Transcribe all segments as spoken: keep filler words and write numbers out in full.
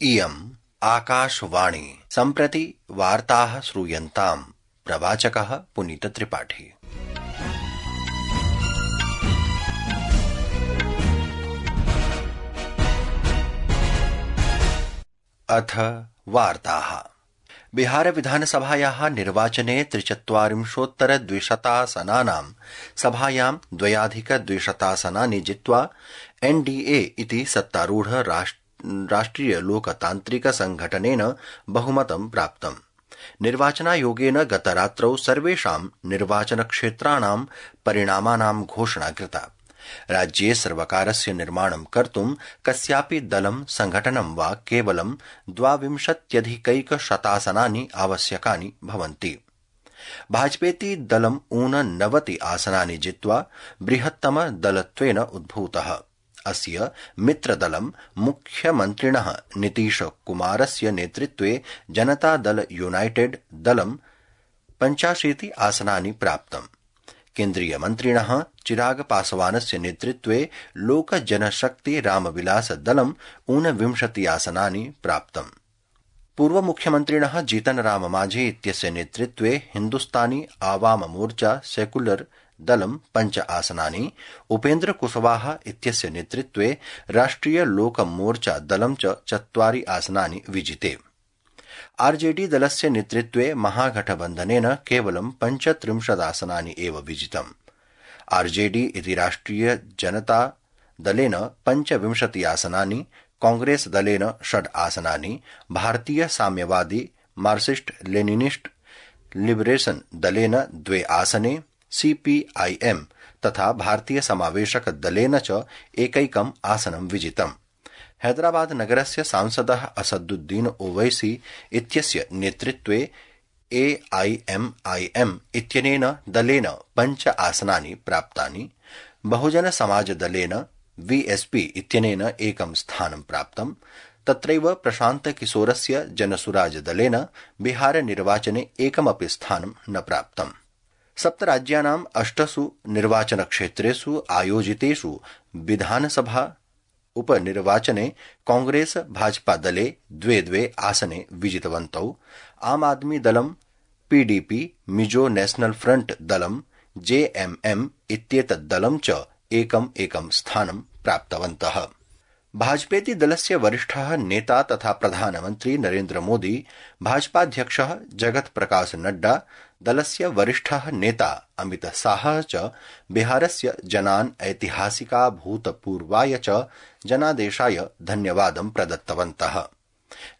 इयम् आकाशवाणी। सम्प्रति वार्ताः श्रूयन्ताम्। प्रवाचकः पुनीतत्रिपाठी। अथ वार्ताः। बिहार विधानसभायाः निर्वाचने त्रिचत्वारिंशोत्तर द्विशतासनानां सभायां द्वयाधिक द्विशतासनानि जित्वा एनडीए इति सत्तारूढ राष्ट्रिय लोकतान्त्रिक संघटनेन बहुमतं प्राप्तम्। निर्वाचनायोगेन गतरात्रौ सर्वेषां निर्वाचनक्षेत्राणां परिणामानां घोषणा कृता। राज्ये सर्वकारस्य निर्माणं कर्तुं कस्यापि दलं संघटनं वा केवलं द्वाविंशत्यधिकैकशतासनानि आवश्यकानि भवन्ति। भाजपेति दलं ऊननवति आसनानि जित्वा बृहत्तम दलत्वेन उद्भूतः। अस्य मित्रदलं मुख्यमन्त्रिणः नीतीश कुमारस्य नेतृत्वे जनता दल यूनाइटेड दलं पञ्चाशीति आसनानि प्राप्तम्। केन्द्रीय मन्त्रिणः चिराग पासवानस्य नेतृत्वे लोक जनशक्ति रामविलास दलं ऊनविंशति आसनानि प्राप्तम्। पूर्व मुख्यमन्त्रिणः जीतन राम मांझी इत्यस्य नेतृत्वे हिन्दुस्तानी आवाम मोर्चा सेक्युलर दलं पञ्च आसनानि, उपेन्द्र कुशवाहा इत्यस्य नेतृत्वे राष्ट्रिय लोक मोर्चा दलं च चत्वारि आसनानि विजिते। आरजेडी दलस्य नेतृत्वे महागठबन्धनेन केवलं पञ्चत्रिंशदासनानि एव विजितम्। आरजेडी इति राष्ट्रिय जनता दलेन पञ्चविंशति आसनानि, कांग्रेस दलेन षड् आसनानि, भारतीय साम्यवादी मार्क्सिस्ट लेनिनिस्ट लिबरेशन दलेन द्वे आसने, सीपीआईएम तथा भारतीय समावेशक दलेन च एकैकम् आसनं विजितम्। हैदराबाद नगरस्य सांसदः असदुद्दीन ओवैसी इत्यस्य नेतृत्वे एआईएमआईएम इत्यनेन दलेन पञ्च आसनानि प्राप्तानि। बहुजन समाज दलेन वीएसपी इत्यनेन एकं स्थानं प्राप्तम्। तत्रैव प्रशान्त किशोरस्य जनसुराज दलेन बिहार निर्वाचने एकमपि स्थानं न प्राप्तम्। सप्तराज्यानाम् अष्टसु निर्वाचनक्षेत्रेषु आयोजितेषु विधानसभा उपनिर्वाचने कांग्रेस भाजपा दले द्वे द्वे आसने विजितवन्तौ। आम आदमी दलं पीडीपी, मिजो नेशनल फ्रंट दलं जेएमएम इत्येतत् दलं च एकम् एकं स्थानं प्राप्तवन्तः। भाजपेति दलस्य वरिष्ठः नेता तथा प्रधानमन्त्री नरेन्द्र मोदी, भाजपाध्यक्षः जगत प्रकाश नड्डा, दलस्य वरिष्ठः नेता अमित शाहः च बिहारस्य जनान् ऐतिहासिकाभूतपूर्वाय च जनादेशाय धन्यवादं प्रदत्तवन्तः।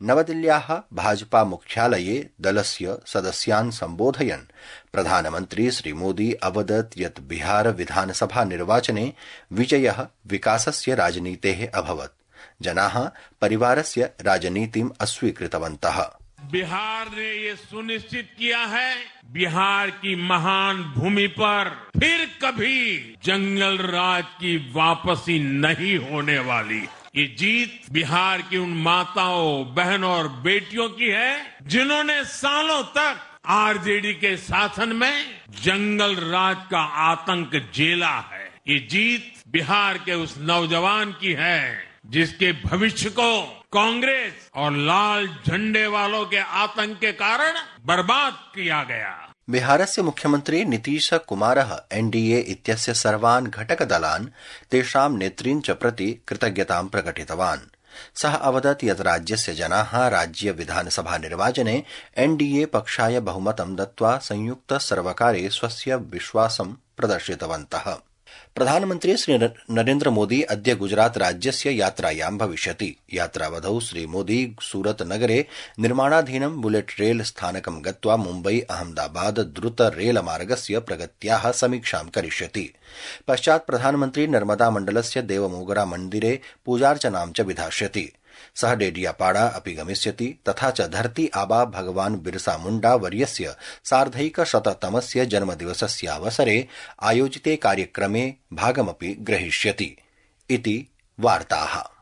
नवदिल्ल्याः भाजपा मुख्यालये दलस्य सदस्यान् सम्बोधयन् प्रधानमन्त्री श्रीमोदी अवदत् यत् बिहार विधानसभा निर्वाचने विजयः विकासस्य राजनीतेः अभवत्। जनाः परिवारस्य राजनीतिम् अस्वीकृतवन्तः। बिहार ने ये सुनिश्चित किया है, बिहार की महान भूमि पर फिर कभी जंगल राज की वापसी नहीं होने वाली। ये जीत बिहार की उन माताओं, बहनों और बेटियों की है जिन्होंने सालों तक आरजेडी के शासन में जंगल राज का आतंक झेला है। ये जीत बिहार के उस नौजवान की है जिसके भविष्य को कांग्रेस और लाल झंडे वालों के आतंक के कारण बर्बाद किया गया। बिहारस्य मुख्यमन्त्री नीतीश कुमारः एनडीए इत्यस्य सर्वान् घटकदलान् तेषां नेतॄन् च प्रति कृतज्ञतां प्रकटितवान्। सः अवदत् यत् राज्यस्य जनाः राज्य विधानसभा निर्वाचने एनडीए पक्षाय बहुमतं दत्त्वा संयुक्त सर्वकारे स्वस्य विश्वासं प्रदर्शितवन्तः। प्रधानमन्त्री श्री नरेन्द्र मोदी अद्य गुजरात राज्यस्य यात्रायां भविष्यति। यात्रावधौ श्रीमोदी सूरत नगरे निर्माणाधीनं बुलेट रेल स्थानकं गत्वा मुम्बई अहमदाबाद द्रुत रेल मार्गस्य प्रगत्याः समीक्षां करिष्यति। पश्चात् प्रधानमन्त्री नर्मदा मण्डलस्य देवमोगरा मन्दिरे पूजार्चनां च विधास्यति। सः डेडियापाड़ा अपि गमिष्यति तथा च धरती आबा भगवान बिरसा मुंडा वर्यस्य सार्धैकशततमस्य जन्मदिवसस्यावसरे आयोजिते कार्यक्रमे भागमपि ग्रहीष्यति इति वार्ताः।